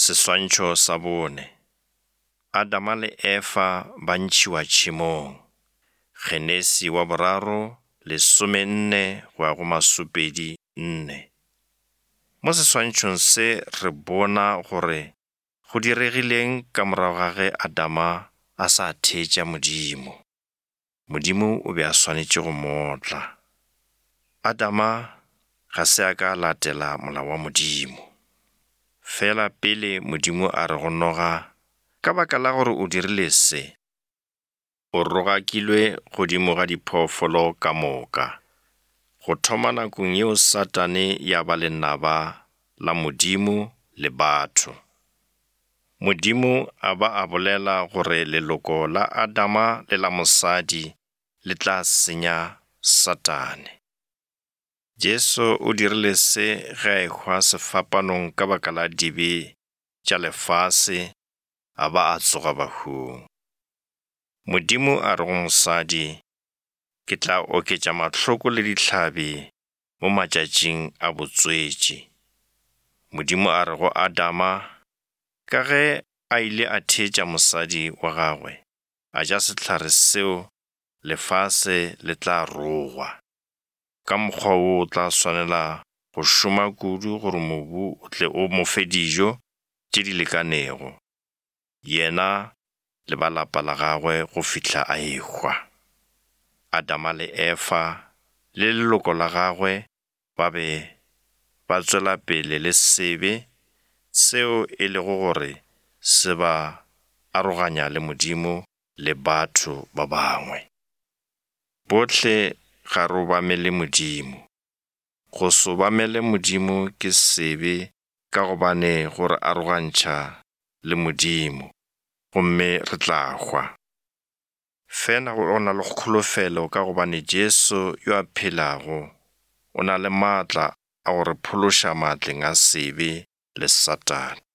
Seswantšho sa bone. Adama le Efa ba ntšhiwa tšhemong. Genesi wa boraro, 14 go ya go masopedi nne. Mo seswantšhong se re bona gore go diregileng ka morago ga ge Adama a sa theetša Modimo. Modimo o be a swanetše go mo otla. Adama ga se a ka a latela molao wa Modimo. Fela pele Modimo a re go noga, Ka baka la gore o dirile se, o rogakilwe godimo ga diphoofolo ka moka. Go thoma nakong yeo Satane ya ba lenaba la Modimo le batho. Modimo a ba a bolela gore leloko la Adama le la mosadi le tla senya Satane. Jesu o dirile se ge a ehwa sefapanong ka baka la dibe tša lefase a ba a tsoga bahung. Modimo a re go mosadi, Ke tla oketša mahloko le dihlabi mo matšatšing a botswetši. Modimo a re go Adama, ka ge a ile a theetša mosadi wa gagwe, a ja sehlare seo, lefase le tla rogwa. Ka mokgwa wo o tla swanela go šoma kudu gore mobu o tle o mo fe dijo tše di lekanego, yena le ba lapa la gagwe go fihla a ehwa. Adama le Efa le leloko la gagwe ba be ba tswela pele le sebe seo e lego gore se ba aroganya le Modimo le batho ba bangwe. Bohle ga re obamele Modimo. Go se obamele Modimo ke sebe ka gobane go re arogantšha le Modimo gomme re tla hwa. Fela go na le kholofelo ka gobane Jesu yo a phelago o na le maatla a go re phološa maatleng a sebe le Satane.